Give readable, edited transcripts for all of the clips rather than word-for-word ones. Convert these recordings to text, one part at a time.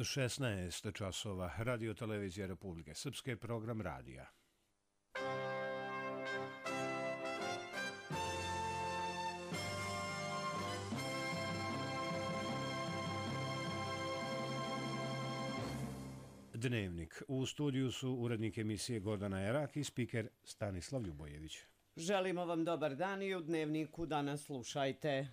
16 časova, Radio Televizija Republike Srpske, program radija. Dnevnik. U studiju su urednik emisije Gordana Erak i spiker Stanislav Ljubojević. Želimo vam dobar dan i u Dnevniku danas slušajte.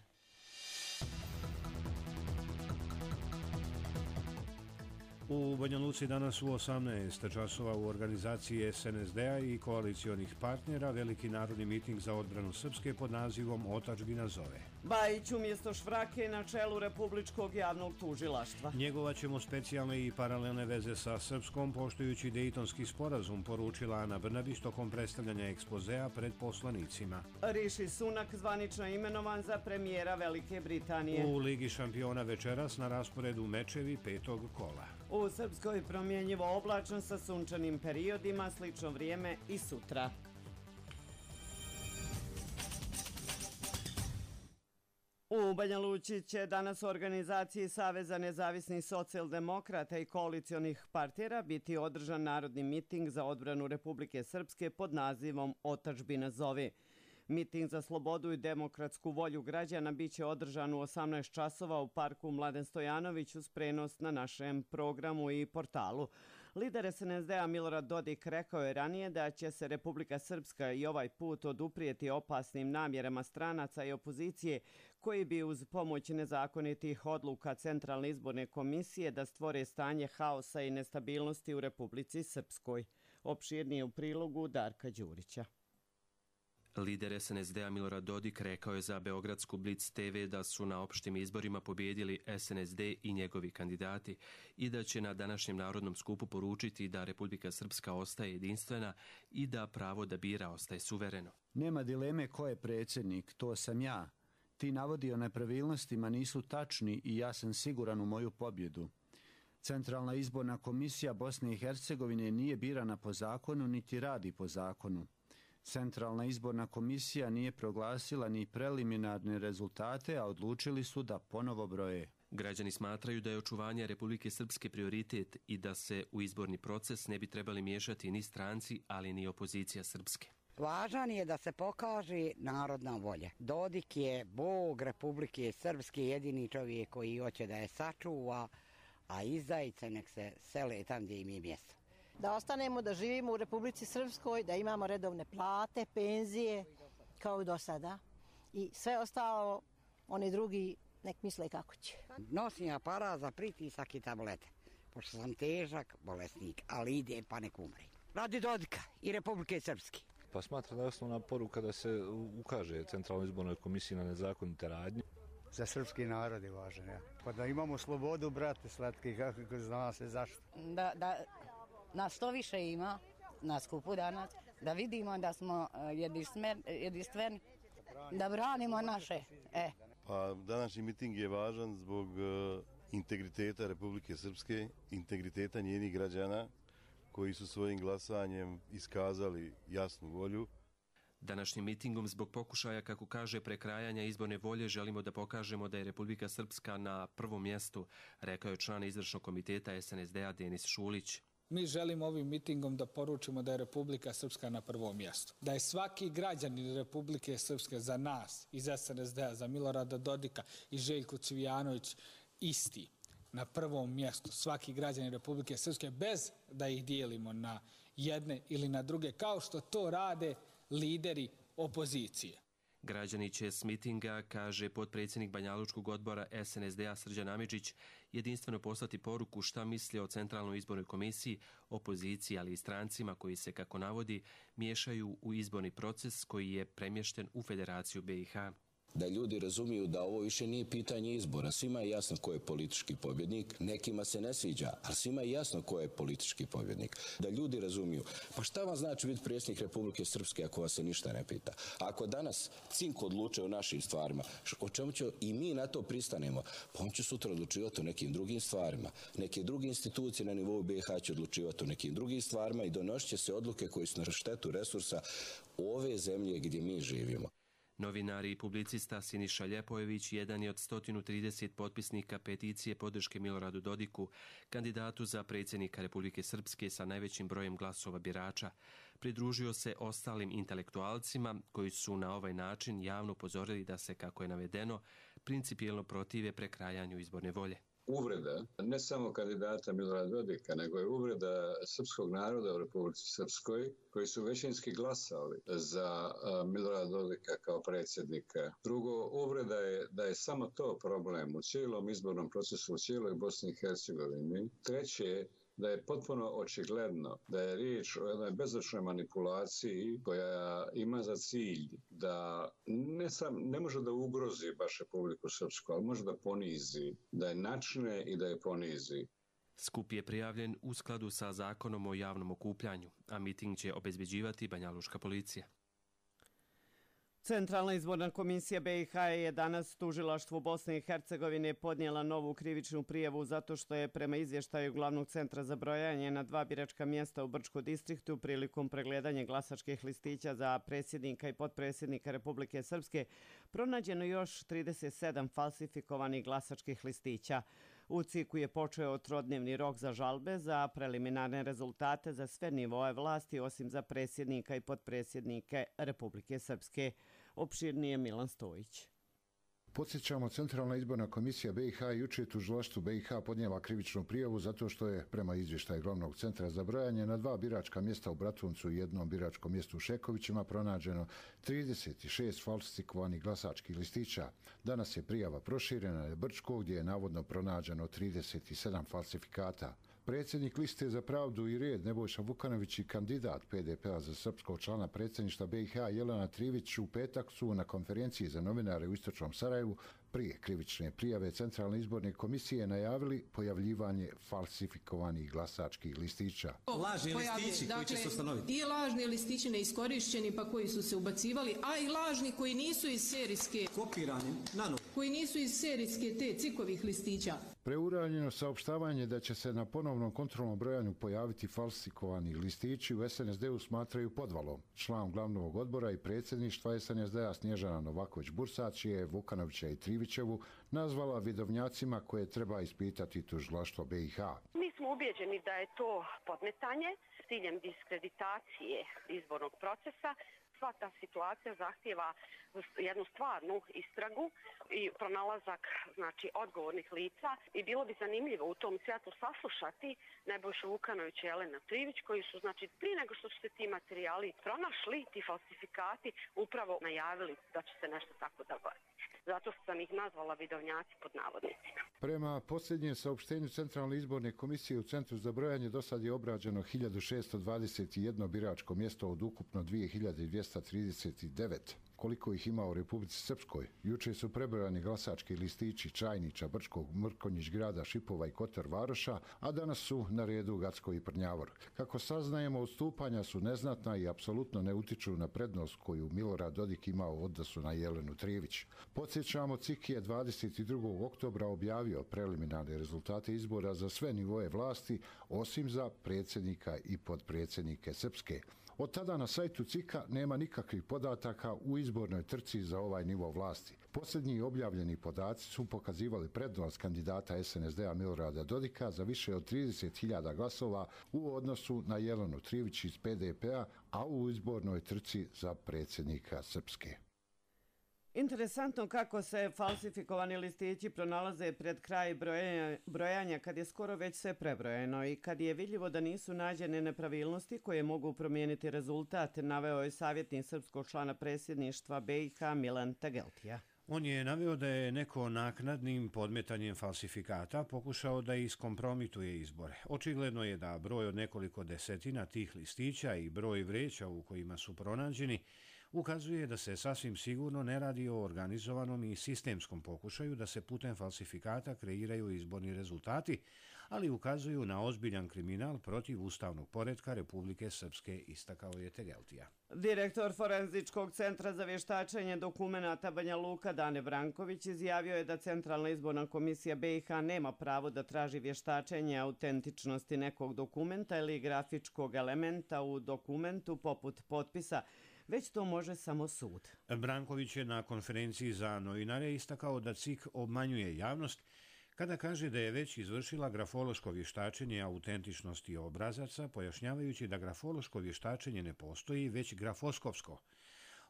U Banja Luci danas u 18 časova u organizaciji SNSD-a i koalicionih partnera veliki narodni miting za odbranu Srpske pod nazivom Otadžbina zove. Bajić umjesto Švrake na čelu Republičkog javnog tužilaštva. Njegovaćemo specijalne i paralelne veze sa Srpskom poštujući Dejtonski sporazum, poručila Ana Brnabić tokom predstavljanja ekspozea pred poslanicima. Riši Sunak zvanično imenovan za premijera Velike Britanije. U Ligi šampiona večeras na rasporedu mečevi petog kola. U Srpskoj promjenjivo oblačno sa sunčanim periodima, slično vrijeme i sutra. U Banja Luci će danas u organizaciji Saveza nezavisnih socijaldemokrata i koalicionih partnera biti održan narodni miting za odbranu Republike Srpske pod nazivom Otadžbina zove. Miting za slobodu i demokratsku volju građana biće održan u 18 časova u parku Mladen Stojanović uz prenos na našem programu i portalu. Lider SNSD-a Milorad Dodik rekao je ranije da će se Republika Srpska i ovaj put oduprijeti opasnim namjerama stranaca i opozicije koji bi uz pomoć nezakonitih odluka Centralne izborne komisije da stvore stanje haosa i nestabilnosti u Republici Srpskoj. Opširnije u prilogu Darka Đurića. Lider SNSD-a Milorad Dodik rekao je za Beogradsku Blic TV da su na opštim izborima pobijedili SNSD i njegovi kandidati i da će na današnjem narodnom skupu poručiti da Republika Srpska ostaje jedinstvena i da pravo da bira ostaje suvereno. Nema dileme ko je predsjednik, to sam ja. Ti navodi o nepravilnostima nisu tačni i ja sam siguran u moju pobjedu. Centralna izborna komisija Bosne i Hercegovine nije birana po zakonu niti radi po zakonu. Centralna izborna komisija nije proglasila ni preliminarne rezultate, a odlučili su da ponovo broje. Građani smatraju da je očuvanje Republike Srpske prioritet i da se u izborni proces ne bi trebali miješati ni stranci, ali ni opozicija Srpske. Važan je da se pokaže narodna volja. Dodik je bog Republike Srpske, jedini čovjek koji hoće da je sačuva, a izdajice nek se sele tam gdje im je mjesto. Da ostanemo, da živimo u Republici Srpskoj, da imamo redovne plate, penzije, kao i do sada. I sve ostalo, oni drugi nek misle kako će. Nosim aparat za pritisak i tablete, pošto sam težak bolesnik, ali ide pa nek umre. Radi Dodika i Republike Srpske. Pa smatram da je osnovna poruka da se ukaže Centralnoj izbornoj komisiji na nezakonite radnje. Za srpski narod je važan, ja. Pa da imamo slobodu, brate slatki, kako zna se zašto. Da nas što više ima na skupu danas, da vidimo da smo jedinstveni, da branimo naše. Pa današnji miting je važan zbog integriteta Republike Srpske, integriteta njenih građana koji su svojim glasanjem iskazali jasnu volju. Današnjim mitingom zbog pokušaja, kako kaže, prekrajanja izborne volje želimo da pokažemo da je Republika Srpska na prvom mjestu, rekao je član izvršnog komiteta SNSD-a Denis Šulić. Mi želimo ovim mitingom da poručimo da je Republika Srpska na prvom mjestu. Da je svaki građanin Republike Srpske za nas, iz SNSD-a, za Milorada Dodika i Željku Cvijanović isti. Na prvom mjestu svaki građanin Republike Srpske bez da ih dijelimo na jedne ili na druge, kao što to rade lideri opozicije. Građani će s mitinga, kaže potpredsjednik Banjalučkog odbora SNSD-a Srđan Amidžić, jedinstveno poslati poruku šta misli o Centralnoj izbornoj komisiji, opoziciji, ali i strancima koji se, kako navodi, miješaju u izborni proces koji je premješten u Federaciju BiH. Da ljudi razumiju da ovo više nije pitanje izbora. Svima je jasno ko je politički pobjednik. Nekima se ne sviđa, ali svima je jasno ko je politički pobjednik. Da ljudi razumiju. Pa šta vam znači biti predsjednik Republike Srpske ako vas se ništa ne pita? Ako danas Cink odlučuje o našim stvarima, o čemu će i mi na to pristanemo, pa on će sutra odlučivati o nekim drugim stvarima. Neke druge institucije na nivou BiH će odlučivati o nekim drugim stvarima i donosit će se odluke koje su na štetu resursa ove zemlje gdje mi živimo. Novinar i publicista Siniša Ljepojević jedan je od 130 potpisnika peticije podrške Miloradu Dodiku, kandidatu za predsjednika Republike Srpske sa najvećim brojem glasova birača. Pridružio se ostalim intelektualcima koji su na ovaj način javno upozorili da se, kako je navedeno, principijelno protive prekrajanju izborne volje. Uvreda ne samo kandidata Milorada Dodika, nego je uvreda srpskog naroda u Republici Srpskoj, koji su većinski glasali za Milorada Dodika kao predsjednika. Drugo, uvreda je da je samo to problem u cijelom izbornom procesu u cijeloj Bosni i Hercegovini. Treće, da je potpuno očigledno da je riječ o jednoj bezočnoj manipulaciji koja ima za cilj da ne može da ugrozi baš Republiku Srpsku, ali može da ponizi, da je načne i da je ponizi. Skup je prijavljen u skladu sa zakonom o javnom okupljanju, a miting će obezbeđivati banjaluška policija. Centralna izborna komisija BiH je danas tužilaštvu Bosne i Hercegovine podnijela novu krivičnu prijavu zato što je prema izvještaju Glavnog centra za brojanje na 2 biračka mjesta u Brčko distriktu prilikom pregledanja glasačkih listića za predsjednika i potpredsjednika Republike Srpske pronađeno još 37 falsifikovanih glasačkih listića. U CIK-u je počeo trodnevni rok za žalbe za preliminarne rezultate za sve nivoe vlasti osim za predsjednika i potpredsjednike Republike Srpske. Opširnije Milan Stojić. Podsjećamo, Centralna izborna komisija BiH jučer je tužilaštvu BiH podnijela krivičnu prijavu zato što je, prema izvještaju Glavnog centra za brojanje, na 2 biračka mjesta u Bratuncu i jednom biračkom mjestu u Šekovićima pronađeno 36 falsifikovanih glasačkih listića. Danas je prijava proširena na Brčko, gdje je navodno pronađeno 37 falsifikata. Predsjednik Liste za pravdu i red Nebojša Vukanović i kandidat PDP-a za srpskog člana predsjedništva BiH Jelena Trivić u petak su na konferenciji za novinare u Istočnom Sarajevu prije krivične prijave Centralne izborne komisije najavili pojavljivanje falsifikovanih glasačkih listića. Lažni listići koji će se ustanoviti. I lažni listići neiskorišćeni pa koji su se ubacivali, a i lažni koji nisu iz serijske... Kopirani, nanovo. Koji nisu iz serijske te cikovih listića. Preuranjeno saopštavanje da će se na ponovnom kontrolnom brojanju pojaviti falsifikovani listići u SNSD-u smatraju podvalom. Član glavnog odbora i predsjedništva SNSD-a Snježana Novaković-Bursač je Vukanovića i Trivićevu nazvala vidovnjacima koje treba ispitati tužilaštvo BiH. Mi smo ubeđeni da je to podmetanje s ciljem diskreditacije izbornog procesa. Sva ta situacija zahtijeva jednu stvarnu istragu i pronalazak odgovornih lica i bilo bi zanimljivo u tom svjetlu saslušati Nebojšu Vukanovića i Jelenu Trivić koji su prije nego što su se ti materijali pronašli, ti falsifikati, upravo najavili da će se nešto tako dogoditi. Zato sam ih nazvala vidovnjaci pod navodnicima. Prema posljednjem saopštenju Centralne izborne komisije u Centru za brojanje do sad je obrađeno 1621 biračko mjesto od ukupno 2239. Koliko ih ima u Republici Srpskoj? Juče su prebrojani glasački listići Čajnića, Brčkog, Mrkonjić grada, Šipova i Kotor Varoša, a danas su na redu Gacko i Prnjavor. Kako saznajemo, odstupanja su neznatna i apsolutno ne utiču na prednost koju Milorad Dodik imao u odnosu na Jelenu Trivić. Podsjećamo, CIK je 22. oktobra objavio preliminarne rezultate izbora za sve nivoje vlasti, osim za predsjednika i potpredsjednike Srpske. Od tada na sajtu CIK-a nema nikakvih podataka u izbornoj trci za ovaj nivo vlasti. Posljednji objavljeni podaci su pokazivali prednost kandidata SNSD-a Milorada Dodika za više od 30.000 glasova u odnosu na Jelenu Trivić iz PDP-a, a u izbornoj trci za predsjednika Srpske. Interesantno kako se falsifikovani listići pronalaze pred kraj brojanja kad je skoro već sve prebrojeno i kad je vidljivo da nisu nađene nepravilnosti koje mogu promijeniti rezultat, naveo je savjetnik srpskog člana predsjedništva BiH Milan Tageltija. On je naveo da je neko naknadnim podmetanjem falsifikata pokušao da iskompromituje izbore. Očigledno je da broj od nekoliko desetina tih listića i broj vreća u kojima su pronađeni ukazuje da se sasvim sigurno ne radi o organizovanom i sistemskom pokušaju da se putem falsifikata kreiraju izborni rezultati, ali ukazuju na ozbiljan kriminal protiv ustavnog poretka Republike Srpske, istakao je Tegeltija. Direktor Forenzičkog centra za vještačenje dokumenata Banja Luka Dane Branković izjavio je da Centralna izborna komisija BiH nema pravo da traži vještačenje autentičnosti nekog dokumenta ili grafičkog elementa u dokumentu poput potpisa, već to može samo sud. Branković je na konferenciji za novinare istakao da CIK obmanjuje javnost kada kaže da je već izvršila grafološko vještačenje autentičnosti obrazaca, pojašnjavajući da grafološko vještačenje ne postoji, već grafoskopsko.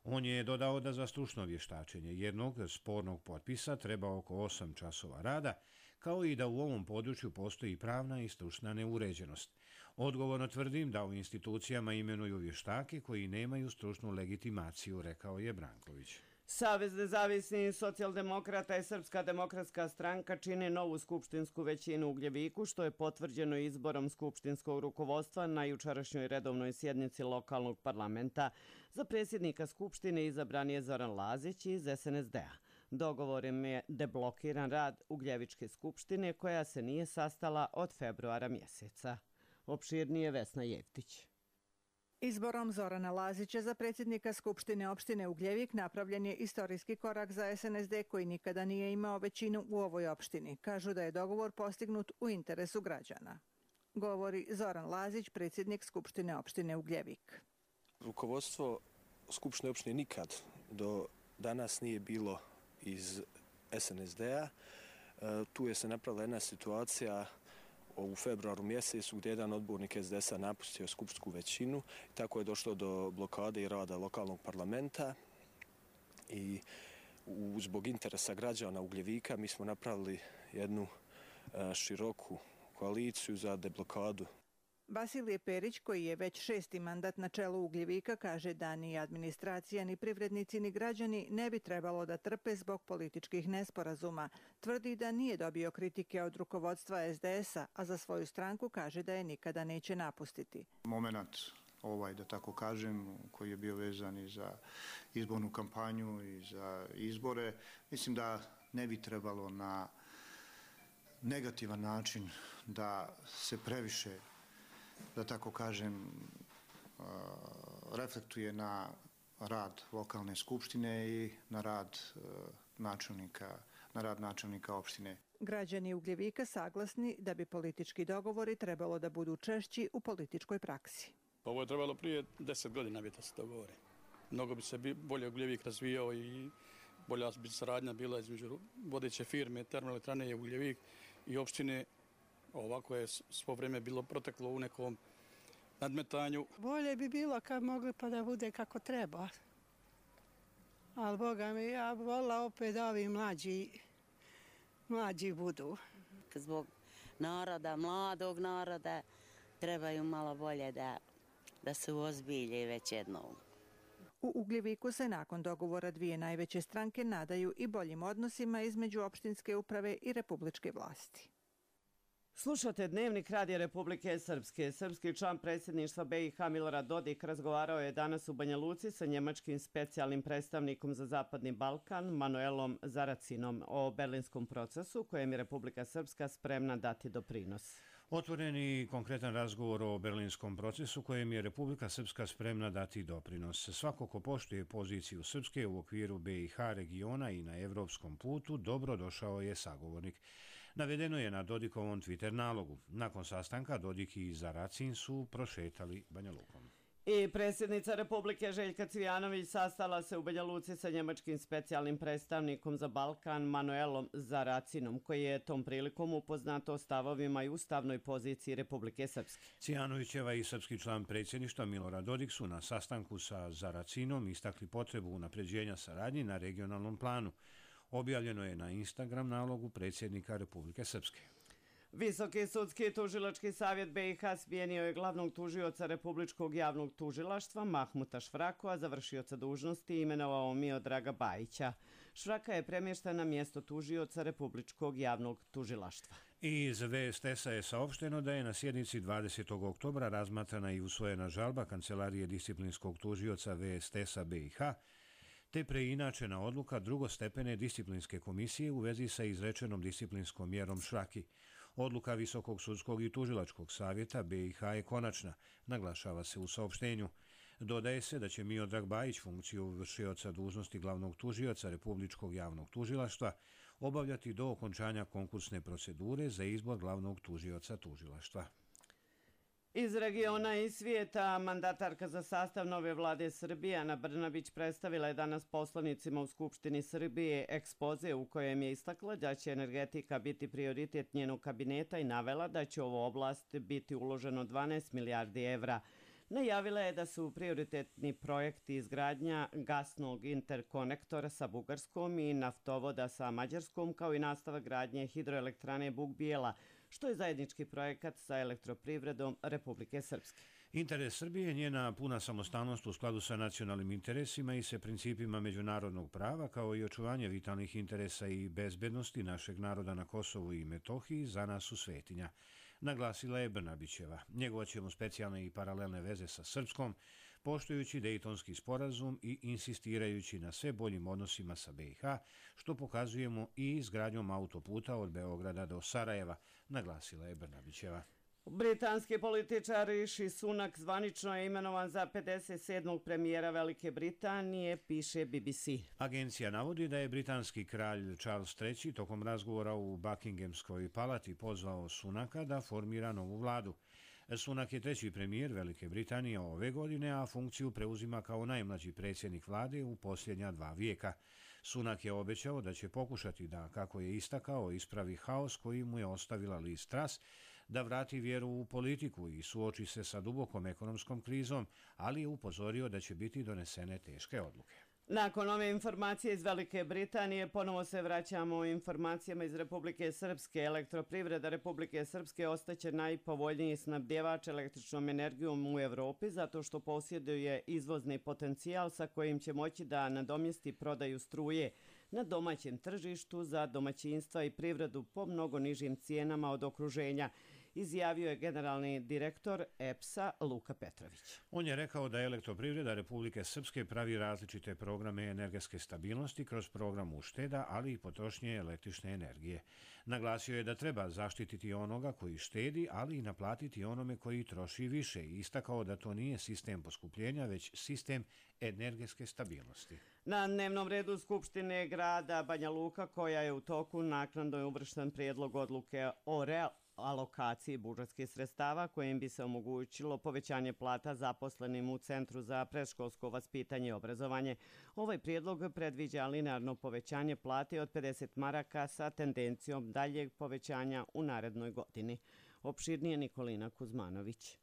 On je dodao da za stručno vještačenje jednog spornog potpisa treba oko 8 časova rada, kao i da u ovom području postoji pravna i stručna neuređenost. Odgovorno tvrdim da u institucijama imenuju vještake koji nemaju stručnu legitimaciju, rekao je Branković. Savez nezavisnih socijaldemokrata i Srpska demokratska stranka čine novu skupštinsku većinu u Ugljeviku, što je potvrđeno izborom skupštinskog rukovodstva na jučerašnjoj redovnoj sjednici lokalnog parlamenta. Za predsjednika skupštine izabran je Zoran Lazić iz SNSD-a. Dogovorom je deblokiran rad Ugljevičke skupštine koja se nije sastala od februara mjeseca. Opširnije Vesna Jevtić. Izborom Zorana Lazića za predsjednika Skupštine opštine Ugljevik napravljen je istorijski korak za SNSD koji nikada nije imao većinu u ovoj opštini. Kažu da je dogovor postignut u interesu građana. Govori Zoran Lazić, predsjednik Skupštine opštine Ugljevik. Rukovodstvo Skupštine opštine nikad do danas nije bilo iz SNSD-a. Tu je se napravila jedna situacija u februaru mjesecu gdje je jedan odbornik SDS-a napustio skupštinsku većinu. Tako je došlo do blokade i rada lokalnog parlamenta i zbog interesa građana Ugljevika mi smo napravili jednu široku koaliciju za deblokadu. Vasilije Perić, koji je već 6. mandat na čelu Ugljevika, kaže da ni administracija, ni privrednici, ni građani ne bi trebalo da trpe zbog političkih nesporazuma. Tvrdi da nije dobio kritike od rukovodstva SDS-a, a za svoju stranku kaže da je nikada neće napustiti. Moment da tako kažem, koji je bio vezan i za izbornu kampanju i za izbore, mislim da ne bi trebalo na negativan način da se previše, da tako kažem, reflektuje na rad lokalne skupštine i na rad načelnika opštine. Građani Ugljevika saglasni da bi politički dogovori trebalo da budu češći u političkoj praksi. Ovo je trebalo prije 10 godina da se dogovore. Mnogo bi se bolje Ugljevik razvijao i bolja bi saradnja bila između vodeće firme Termoelektrane Ugljevik i opštine. Ovako je svo vrijeme bilo proteklo u nekom nadmetanju. Bolje bi bilo kad mogli pa da bude kako treba. Ali Boga mi, ja bi volila opet da ovi mlađi budu. Zbog naroda, mladog naroda, trebaju malo bolje da se uozbilje već jednom. U Ugljeviku se nakon dogovora dvije najveće stranke nadaju i boljim odnosima između opštinske uprave i republičke vlasti. Slušate Dnevnik Radija Republike Srpske. Srpski član predsjedništva BiH Milorad Dodik razgovarao je danas u Banja Luci sa njemačkim specijalnim predstavnikom za Zapadni Balkan Manuelom Zaracinom o berlinskom procesu kojem je Republika Srpska spremna dati doprinos. Otvoren i konkretan razgovor o berlinskom procesu kojem je Republika Srpska spremna dati doprinos. Svako ko poštuje poziciju Srpske u okviru BiH regiona i na evropskom putu, dobro došao je sagovornik. Navedeno je na Dodikovom Twitter nalogu. Nakon sastanka Dodik i Zaracin su prošetali Banja Lukom. I predsjednica Republike Željka Cvijanović sastala se u Banja Luci sa njemačkim specijalnim predstavnikom za Balkan Manuelom Zaracinom, koji je tom prilikom upoznat o stavovima i ustavnoj poziciji Republike Srpske. Cvijanovićeva i srpski član predsjedništva Milorad Dodik su na sastanku sa Zaracinom istakli potrebu unapređenja saradnje na regionalnom planu. Objavljeno je na Instagram nalogu predsjednika Republike Srpske. Visoki sudski tužilački savjet BiH smijenio je glavnog tužioca Republičkog javnog tužilaštva Mahmuta Švraku, a za vršioca dužnosti imenovao Miodraga Bajića. Švraka je premješten na mjesto tužioca Republičkog javnog tužilaštva. Iz VSTS-a je saopšteno da je na sjednici 20. oktobra razmatrana i usvojena žalba Kancelarije disciplinskog tužioca VSTS-a BiH, te preinačena odluka drugostepene disciplinske komisije u vezi sa izrečenom disciplinskom mjerom Švraki. Odluka Visokog sudskog i tužilačkog savjeta BiH je konačna, naglašava se u saopštenju. Dodaje se da će Miodrag Bajić funkciju vršioca dužnosti glavnog tužioca Republičkog javnog tužilaštva obavljati do okončanja konkursne procedure za izbor glavnog tužioca tužilaštva. Iz regiona i svijeta, mandatarka za sastav nove vlade Srbije, Ana Brnabić, predstavila je danas poslanicima u Skupštini Srbije ekspoze u kojem je istakla da će energetika biti prioritet njenog kabineta i navela da će u ovu oblast biti uloženo 12 milijardi evra. Najavila je da su prioritetni projekti izgradnja gasnog interkonektora sa Bugarskom i naftovoda sa Mađarskom, kao i nastavak gradnje hidroelektrane Buk-Bijela, što je zajednički projekat sa elektroprivredom Republike Srpske. Interes Srbije je njena puna samostalnost u skladu sa nacionalnim interesima i sa principima međunarodnog prava, kao i očuvanje vitalnih interesa i bezbednosti našeg naroda na Kosovu i Metohiji za nas u svetinja, naglasila je Brnabićeva. Njegovaćemo specijalne i paralelne veze sa Srpskom, poštujući Dejtonski sporazum i insistirajući na sve boljim odnosima sa BiH, što pokazujemo i izgradnjom autoputa od Beograda do Sarajeva, naglasila je Brnabićeva. Britanski političar Rishi Sunak zvanično je imenovan za 57. premijera Velike Britanije, piše BBC. Agencija navodi da je britanski kralj Charles III tokom razgovora u Buckinghamskoj palati pozvao Sunaka da formira novu vladu. Sunak je treći premijer Velike Britanije ove godine, a funkciju preuzima kao najmlađi predsjednik vlade u posljednja 2 vijeka. Sunak je obećao da će pokušati da, kako je istakao, ispravi haos koji mu je ostavila Liz Truss, da vrati vjeru u politiku i suoči se sa dubokom ekonomskom krizom, ali je upozorio da će biti donesene teške odluke. Nakon ove informacije iz Velike Britanije, ponovo se vraćamo informacijama iz Republike Srpske. Elektroprivreda Republike Srpske ostaće najpovoljniji snabdjevač električnom energijom u Evropi zato što posjeduje izvozni potencijal sa kojim će moći da nadomjesti prodaju struje na domaćem tržištu za domaćinstva i privredu po mnogo nižim cijenama od okruženja, izjavio je generalni direktor EPS-a Luka Petrović. On je rekao da Elektroprivreda Republike Srpske pravi različite programe energetske stabilnosti kroz program ušteda, ali i potrošnje električne energije. Naglasio je da treba zaštititi onoga koji štedi, ali i naplatiti onome koji troši više i istakao da to nije sistem poskupljenja, već sistem energetske stabilnosti. Na dnevnom redu Skupštine grada Banja Luka, koja je u toku, naknadno je uvršten prijedlog odluke o alokaciji budžetskih sredstava kojim bi se omogućilo povećanje plata zaposlenim u Centru za predškolsko vaspitanje i obrazovanje. Ovaj prijedlog predviđa linearno povećanje plate od 50 maraka sa tendencijom daljeg povećanja u narednoj godini. Opširnije Nikolina Kuzmanović.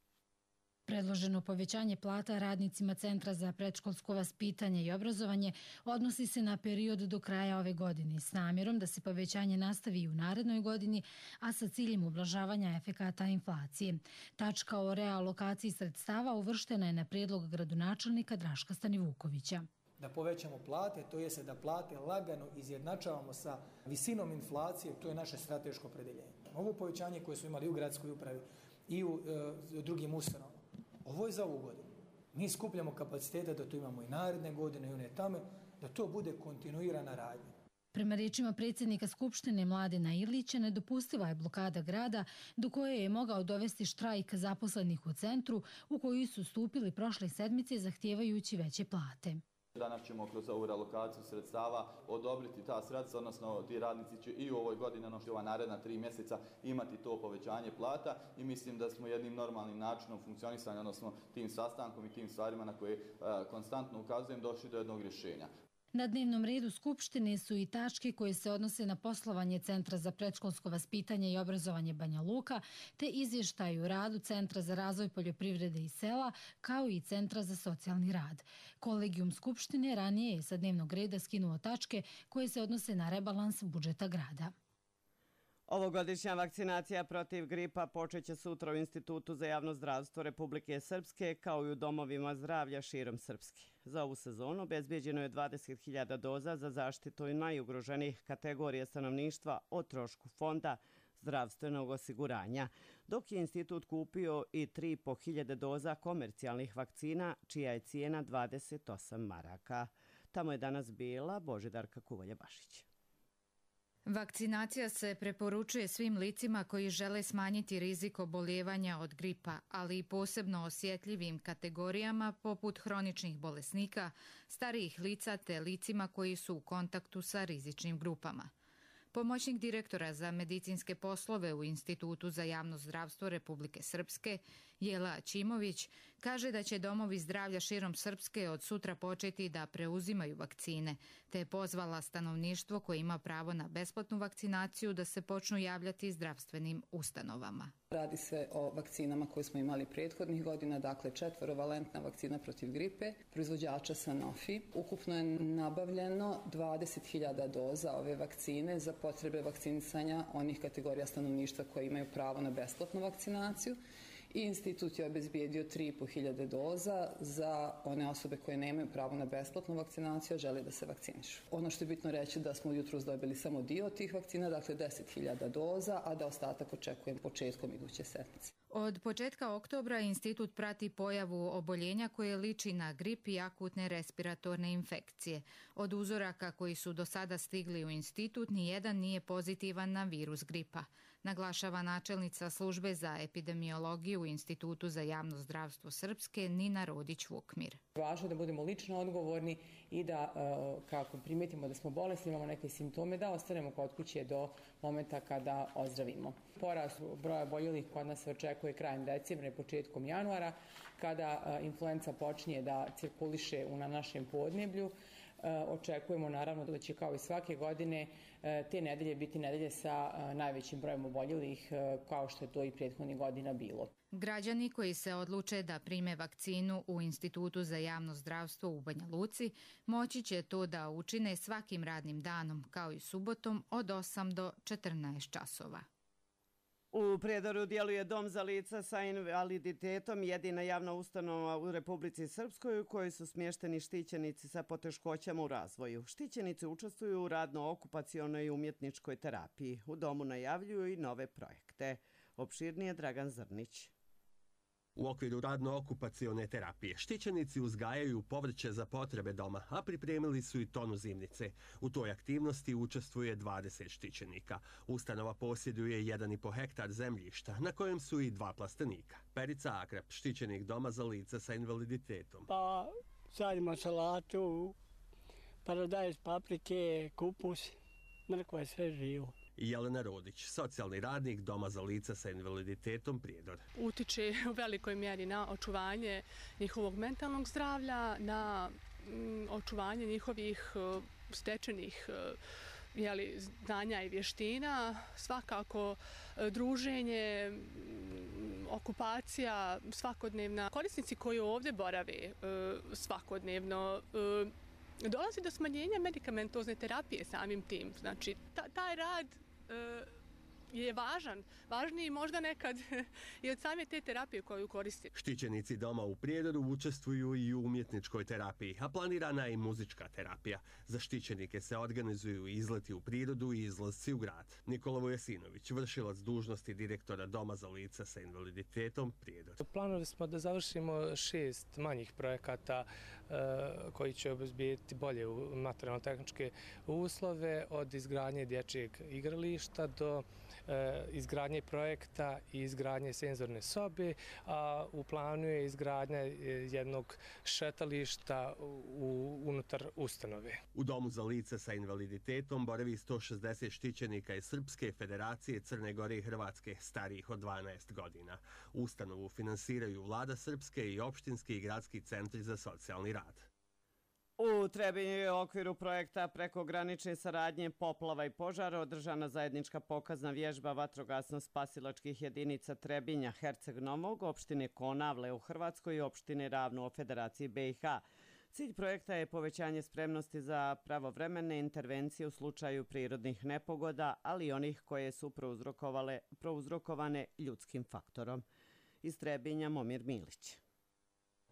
Predloženo povećanje plata radnicima Centra za predškolsko vaspitanje i obrazovanje odnosi se na period do kraja ove godine s namjerom da se povećanje nastavi i u narednoj godini, a sa ciljem ublažavanja efekata inflacije. Tačka o realokaciji sredstava uvrštena je na prijedlog gradonačelnika Draška Stanivukovića. Da povećamo plate, to je da plate lagano izjednačavamo sa visinom inflacije, to je naše strateško opredeljenje. Ovo povećanje koje smo imali u gradskoj upravi i u drugim ustanovama, ovo je za ovu godinu. Mi skupljamo kapacitete da to imamo i naredne godine i one tamo, da to bude kontinuirana radnja. Prema riječima predsjednika Skupštine Mladena Ilića, nedopustiva je blokada grada do koje je mogao dovesti štrajk zaposlenih u centru u koji su stupili prošle sedmice zahtijevajući veće plate. Danas ćemo kroz ovu relokaciju sredstava odobriti ta sredstva, odnosno ti radnici će i u ovoj godini, ono što je ova naredna 3 mjeseca, imati to povećanje plata i mislim da smo jednim normalnim načinom funkcionisanja, odnosno tim sastankom i tim stvarima na koje konstantno ukazujem, došli do jednog rješenja. Na dnevnom redu Skupštine su i tačke koje se odnose na poslovanje Centra za predškolsko vaspitanje i obrazovanje Banja Luka, te izvještaj o radu Centra za razvoj poljoprivrede i sela, kao i Centra za socijalni rad. Kolegijum Skupštine ranije je sa dnevnog reda skinuo tačke koje se odnose na rebalans budžeta grada. Ovogodišnja vakcinacija protiv gripa počeće sutra u Institutu za javno zdravstvo Republike Srpske, kao i u domovima zdravlja širom Srpske. Za ovu sezonu obezbeđeno je 20.000 doza za zaštitu najugroženijih kategorija stanovništva o trošku fonda zdravstvenog osiguranja, dok je institut kupio i 3.500 doza komercijalnih vakcina, čija je cijena 28 maraka. Tamo je danas bila Božidarka Kuvalja-Bašić. Vakcinacija se preporučuje svim licima koji žele smanjiti rizik oboljevanja od gripa, ali i posebno osjetljivim kategorijama poput hroničnih bolesnika, starijih lica te licima koji su u kontaktu sa rizičnim grupama. Pomoćnik direktora za medicinske poslove u Institutu za javno zdravstvo Republike Srpske Jela Ćimović kaže da će domovi zdravlja širom Srpske od sutra početi da preuzimaju vakcine, te je pozvala stanovništvo koje ima pravo na besplatnu vakcinaciju da se počnu javljati zdravstvenim ustanovama. Radi se o vakcinama koje smo imali prethodnih godina, dakle 4-valentna vakcina protiv gripe, proizvođača Sanofi. Ukupno je nabavljeno 20.000 doza ove vakcine za potrebe vakcinisanja onih kategorija stanovništva koje imaju pravo na besplatnu vakcinaciju. I institut je obezbijedio 3.500 doza za one osobe koje nemaju pravo na besplatnu vakcinaciju, a žele da se vakcinišu. Ono što je bitno reći da smo jutros dobili samo dio tih vakcina, dakle 10.000 doza, a da ostatak očekujem početkom iduće sedmice. Od početka oktobra institut prati pojavu oboljenja koje liči na grip i akutne respiratorne infekcije. Od uzoraka koji su do sada stigli u institut, nijedan nije pozitivan na virus gripa, naglašava načelnica službe za epidemiologiju u Institutu za javno zdravstvo Srpske Nina Rodić-Vukmir. Važno je da budemo lično odgovorni i da, kako primetimo da smo bolesni, imamo neke simptome, da ostanemo kod kuće do momenta kada ozdravimo. Porast broja oboljelih kod nas se očekuje krajem decembra i početkom januara, kada influenca počinje da cirkuliše na našem podneblju. Očekujemo naravno da će kao i svake godine te nedelje biti nedelje sa najvećim brojem oboljelih, kao što je to i prethodnih godina bilo. Građani koji se odluče da prime vakcinu u Institutu za javno zdravstvo u Banja Luci moći će to da učine svakim radnim danom, kao i subotom od 8 do 14 časova. U Prijedoru djeluje Dom za lica sa invaliditetom, jedina javna ustanova u Republici Srpskoj u kojoj su smješteni štićenici sa poteškoćama u razvoju. Štićenici učestvuju u radno-okupacionoj i umjetničkoj terapiji. U domu najavljuju i nove projekte. Opširnije Dragan Zrnić. U okviru radno-okupacione terapije štićenici uzgajaju povrće za potrebe doma, a pripremili su i tonu zimnice. U toj aktivnosti učestvuje 20 štićenika. Ustanova posjeduje 1,5 hektar zemljišta, na kojem su i 2 plastenika. Perica Akrap, štićenik doma za lica sa invaliditetom. Pa sadimo salatu, paradajz, paprike, kupus, mrkva je sve živo. Jelena Rodić, socijalni radnik Doma za lica sa invaliditetom Prijedor. Utiče u velikoj mjeri na očuvanje njihovog mentalnog zdravlja, na očuvanje njihovih stečenih znanja i vještina, svakako druženje, okupacija svakodnevna. Korisnici koji ovdje borave svakodnevno, dolazi do smanjenja medikamentozne terapije samim tim. Znači, taj rad je važan, važniji možda nekad i od same te terapije koju koristi. Štićenici doma u Prijedoru učestvuju i u umjetničkoj terapiji, a planirana je i muzička terapija. Za štićenike se organizuju izleti u prirodu i izlasci u grad. Nikola Vujasinović, vršilac dužnosti direktora Doma za lica sa invaliditetom Prijedor. Planuli smo da završimo 6 manjih projekata koji će obezbijeti bolje materijalno-tehničke uslove, od izgradnje dječjeg igrališta do izgradnje projekta i izgradnje senzorne sobe, a u planu je izgradnja jednog šetališta unutar ustanove. U Domu za lica sa invaliditetom boravi 160 štićenika iz Srpske, Federacije, Crne Gore i Hrvatske starijih od 12 godina. Ustanovu finansiraju Vlada Srpske i opštinski i gradski centri za socijalni rad. U Trebinju je u okviru projekta prekogranične saradnje poplava i požara održana zajednička pokazna vježba vatrogasno-spasilačkih jedinica Trebinja, Herceg Novog, opštine Konavle u Hrvatskoj i opštine Ravno u Federaciji BiH. Cilj projekta je povećanje spremnosti za pravovremene intervencije u slučaju prirodnih nepogoda, ali i onih koje su prouzrokovane ljudskim faktorom. Iz Trebinja Momir Milić.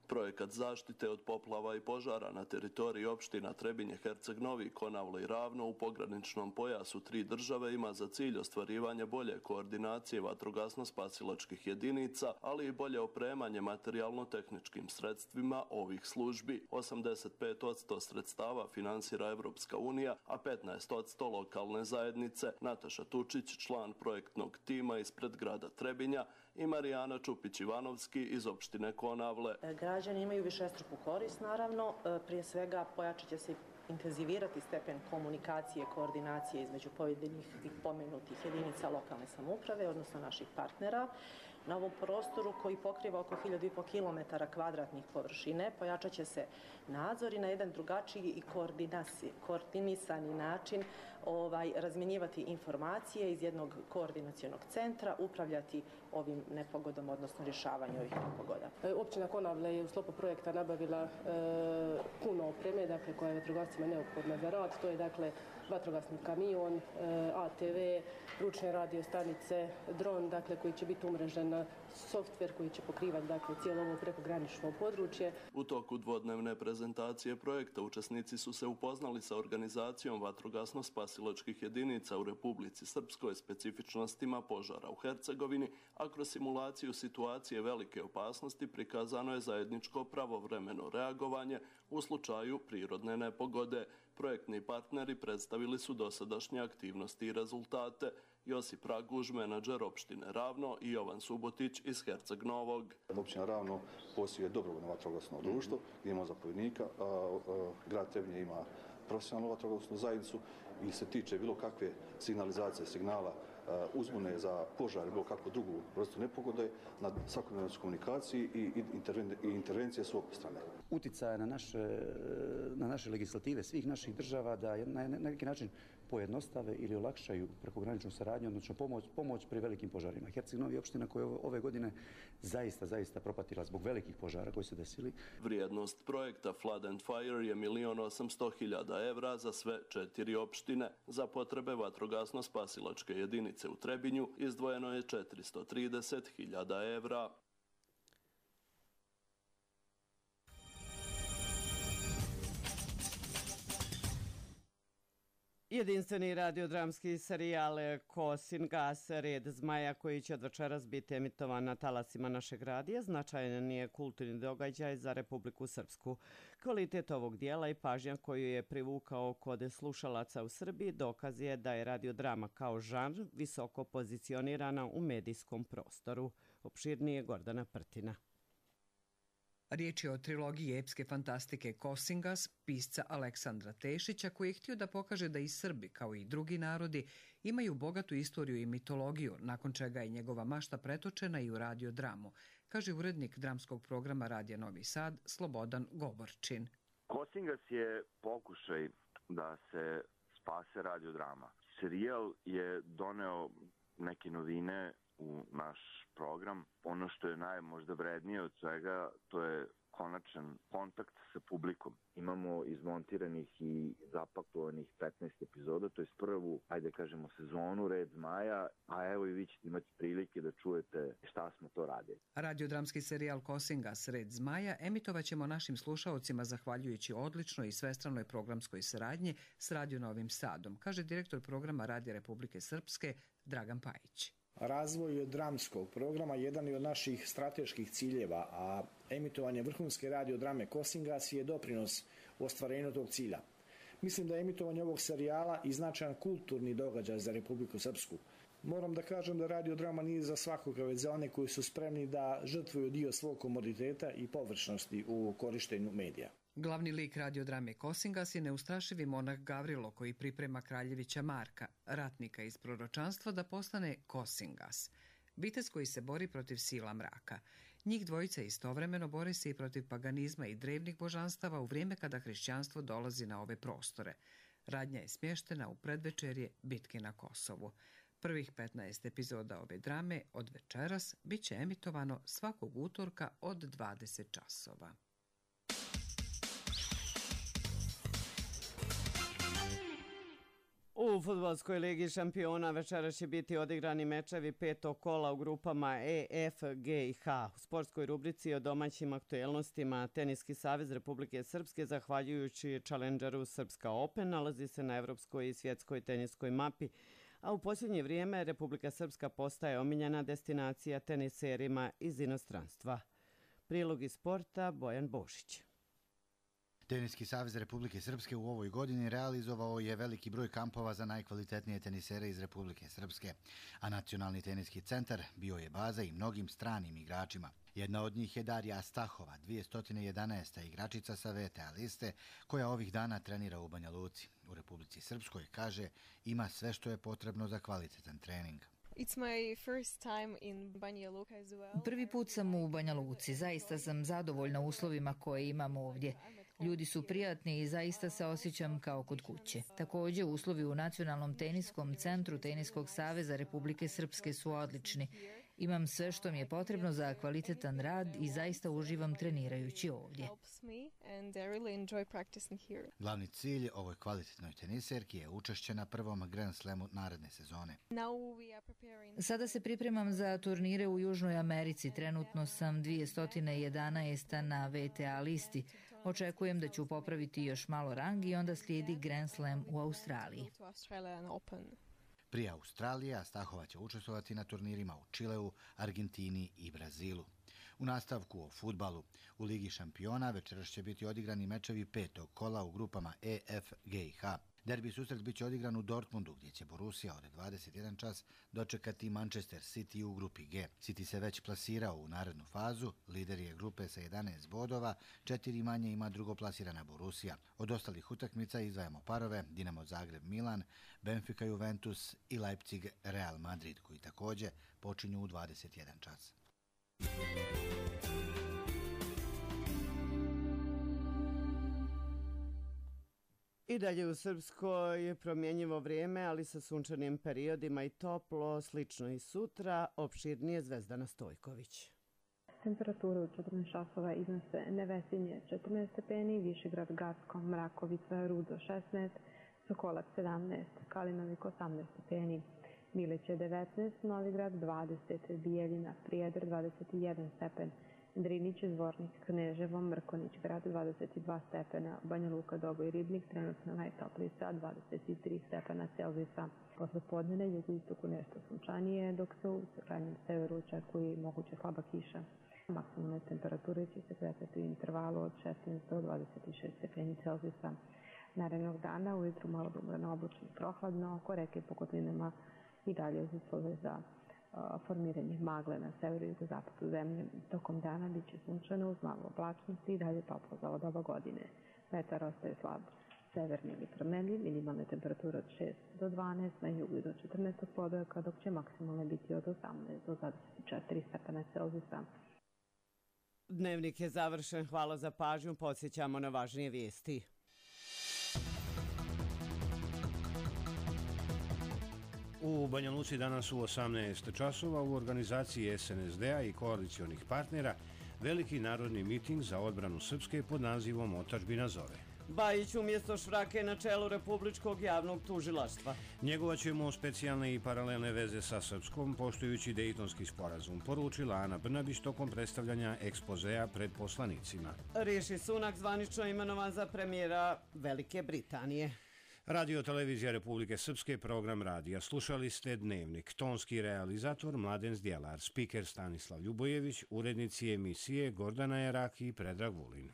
Projekat zaštite od poplava i požara na teritoriji opština Trebinje, Herceg Novi, Konavle i Ravno u pograničnom pojasu 3 države ima za cilj ostvarivanje bolje koordinacije vatrogasno-spasilačkih jedinica, ali i bolje opremanje materijalno-tehničkim sredstvima ovih službi. 85% sredstava finansira Evropska unija, a 15% lokalne zajednice. Nataša Tučić, član projektnog tima ispred grada Trebinja, i Marijana Čupić-Ivanovski iz opštine Konavle. Građani imaju višestruku korist, naravno. Prije svega pojačat će se intenzivirati stepen komunikacije, koordinacije između pojedinih i pomenutih jedinica lokalne samouprave, odnosno naših partnera. na ovom prostoru koji pokriva oko 1500 km2 površine. Pojačat će se nadzor i na jedan drugačiji i koordinisani način razmjenjivati informacije iz jednog koordinacionog centra, upravljati ovim nepogodom, odnosno rješavanju ovih nepogoda. Općina Konavle je u sklopu projekta nabavila puno opreme, dakle, koja je vatrogascima neophodna za rad. To je, dakle, vatrogasni kamion, ATV, ručne radio stanice, dron, dakle, koji će biti umrežen na softver koji će pokrivati, dakle, cijelo ovo prekogranično područje. U toku dvodnevne prezentacije projekta učesnici su se upoznali sa organizacijom vatrogasno-spasilačkih jedinica u Republici Srpskoj, specifičnostima požara u Hercegovini, a kroz simulaciju situacije velike opasnosti prikazano je zajedničko pravovremeno reagovanje u slučaju prirodne nepogode. Projektni partneri predstavili su dosadašnje aktivnosti i rezultate. Josip Raguž, menadžer opštine Ravno, i Jovan Subotić iz Herceg Novog. Općina Ravno posjeduje dobrovoljno vatrogasno društvo, gdje ima zapovjednika, grad Trebinje ima profesionalnu vatrogasnu zajednicu i se tiče bilo kakve signalizacije signala uzbune za požar, bilo kakvu drugu vrstu nepogode, na svakodnevnoj komunikaciji i intervencije s obje strane. Uticaja na naše legislative svih naših država da na neki način pojednostave ili olakšaju prekograničnu saradnju, odnosno pomoć pri velikim požarima. Herceg Novi je opština koja je ove godine zaista propatila zbog velikih požara koji su desili. Vrijednost projekta Flood and Fire je 1.800.000 evra za sve 4 opštine. Za potrebe vatrogasno-spasilačke jedinice u Trebinju izdvojeno je 430.000 evra. Jedinstveni radiodramski serijal Kosin gas, red zmaja, koji će od večeras biti emitovan na talasima našeg radija, značajan je kulturni događaj za Republiku Srpsku. Kvalitet ovog dijela i pažnja koju je privukao kod slušalaca u Srbiji dokaz je da je radiodrama kao žanr visoko pozicionirana u medijskom prostoru. Opširnije Gordana Prtina. Riječ je o trilogiji epske fantastike Kosingas, pisca Aleksandra Tešića, koji je htio da pokaže da i Srbi, kao i drugi narodi, imaju bogatu istoriju i mitologiju, nakon čega je njegova mašta pretočena i u radiodramu, kaže urednik dramskog programa Radija Novi Sad Slobodan Govorčin. Kosingas je pokušaj da se spase radiodrama. Serijal je doneo neke novine u naš program. Ono što je najmožda vrednije od svega, to je konačan kontakt sa publikom. Imamo izmontiranih i zapakovanih 15 epizoda, to je prvu, ajde kažemo, sezonu Red zmaja, a evo i vi ćete imati prilike da čujete šta smo to radili. Radiodramski serijal Kosingas, Red zmaja emitovaćemo našim slušaocima zahvaljujući odličnoj i svestranoj programskoj saradnji s Radio Novim Sadom, kaže direktor programa Radija Republike Srpske Dragan Pajić. Razvoj dramskog programa jedan je od naših strateških ciljeva, a emitovanje vrhunske radiodrame Kosingas je doprinos u ostvarenju tog cilja. Mislim da je emitovanje ovog serijala i značajan kulturni događaj za Republiku Srpsku. Moram da kažem da radiodrama nije za svakoga, već za one koji su spremni da žrtvuju dio svog komoditeta i površnosti u korištenju medija. Glavni lik radiodrame Kosingas je neustrašivi monah Gavrilo, koji priprema kraljevića Marka, ratnika iz proročanstva, da postane Kosingas, vitez koji se bori protiv sila mraka. Njih dvojica istovremeno bore se i protiv paganizma i drevnih božanstava u vrijeme kada hrišćanstvo dolazi na ove prostore. Radnja je smještena u predvečerje bitke na Kosovu. Prvih 15 epizoda ove drame od večeras bit će emitovano svakog utorka od 20 časova. U fudbalskoj ligi šampiona večeras će biti odigrani mečevi petog kola u grupama E, F, G i H. U sportskoj rubrici o domaćim aktuelnostima Teniski savez Republike Srpske, zahvaljujući Challengeru Srpska Open, nalazi se na evropskoj i svjetskoj teniskoj mapi, a u posljednje vrijeme Republika Srpska postaje omiljena destinacija teniserima iz inostranstva. Prilog iz sporta Bojan Bošić. Teniski savez Republike Srpske u ovoj godini realizovao je veliki broj kampova za najkvalitetnije tenisere iz Republike Srpske, a Nacionalni teniski centar bio je baza i mnogim stranim igračima. Jedna od njih je Darija Stahova, 211. igračica sa VTA liste, koja ovih dana trenira u Banja Luci. U Republici Srpskoj, kaže, ima sve što je potrebno za kvalitetan trening. Prvi put sam u Banja Luci. Zaista sam zadovoljna uslovima koje imamo ovdje. Ljudi su prijatni i zaista se osjećam kao kod kuće. Također, uslovi u Nacionalnom teniskom centru Teniskog saveza Republike Srpske su odlični. Imam sve što mi je potrebno za kvalitetan rad i zaista uživam trenirajući ovdje. Glavni cilj ovoj kvalitetnoj teniserki je učešće na prvom Grand Slamu naredne sezone. Sada se pripremam za turnire u Južnoj Americi. Trenutno sam 211. na WTA listi. Očekujem da ću popraviti još malo rang i onda slijedi Grand Slam u Australiji. Prije Australije, Astahova će učestvovati na turnirima u Čileu, Argentini i Brazilu. U nastavku o fudbalu u Ligi šampiona večeras će biti odigrani mečevi petog kola u grupama E, F, G i H. Derbi susret biće odigran u Dortmundu, gdje će Borussia od 21 čas dočekati Manchester City u grupi G. City se već plasirao u narednu fazu, lider je grupe sa 11 bodova, 4 manje ima drugoplasirana Borussia. Od ostalih utakmica izdvajamo parove Dinamo Zagreb Milan, Benfica Juventus i Leipzig Real Madrid, koji također počinju u 21 čas. I dalje u Srpskoj je promjenjivo vrijeme, ali sa sunčanim periodima i toplo, slično i sutra, opširnije Zvezdana Stojković. Temperature u 14 časova iznose Nevesinje 14 stepeni, Višegrad Gacko, Mrakovica, Rudo 16, Sokolac 17, Kalinovik 18 stepeni, Miliće 19, Novigrad 20, Bijeljina, Prijedor 21 stepen, Drinić, Zvornik, Kneževo, Mrkonić, grad 22 stepena, Banja Luka, Doboj, Ribnik, trenutno najtopliji sa 23 stepena Celzijusa. Posle podnevne jugoistoku nešto sunčanije, dok se u krajnjem severu očekuje moguća slaba kiša. Maksimalne temperature će se kretati u intervalu od 16 do 26 stepeni Celzijusa. Narednog dana ujutru malo dumrano oblačno i prohladno, oko reke po kotlinama i dalje uz uslove za formiranje magle na severu i jugozapadu zemlje. Tokom dana bit će sunčano uz malo oblačnosti i dalje toplo za ovo doba godine. Vetar ostaje slab severni ili promenljiv, minimalne temperature od 6 do 12, na jugu i do 14 podojaka, dok će maksimalne biti od 18 do 24 stepena Celzijusa. Dnevnik je završen, hvala za pažnju, podsjećamo na važnije vijesti. U Banja Luci danas u 18 časova u organizaciji SNSD-a i koalicionih partnera veliki narodni miting za odbranu Srpske pod nazivom Otadžbina zove. Bajić umjesto Švrake na čelu Republičkog javnog tužilaštva. Njegovaćemo specijalne i paralelne veze sa Srpskom, poštujući Dejtonski sporazum, poručila Ana Brnabić tokom predstavljanja ekspozea pred poslanicima. Riši Sunak zvanično imenovan za premijera Velike Britanije. Radio Televizija Republike Srpske, program radija. Slušali ste Dnevnik. Tonski realizator Mladen Zdjelar, spiker Stanislav Ljubojević, urednici emisije Gordana Jeraki i Predrag Vulin.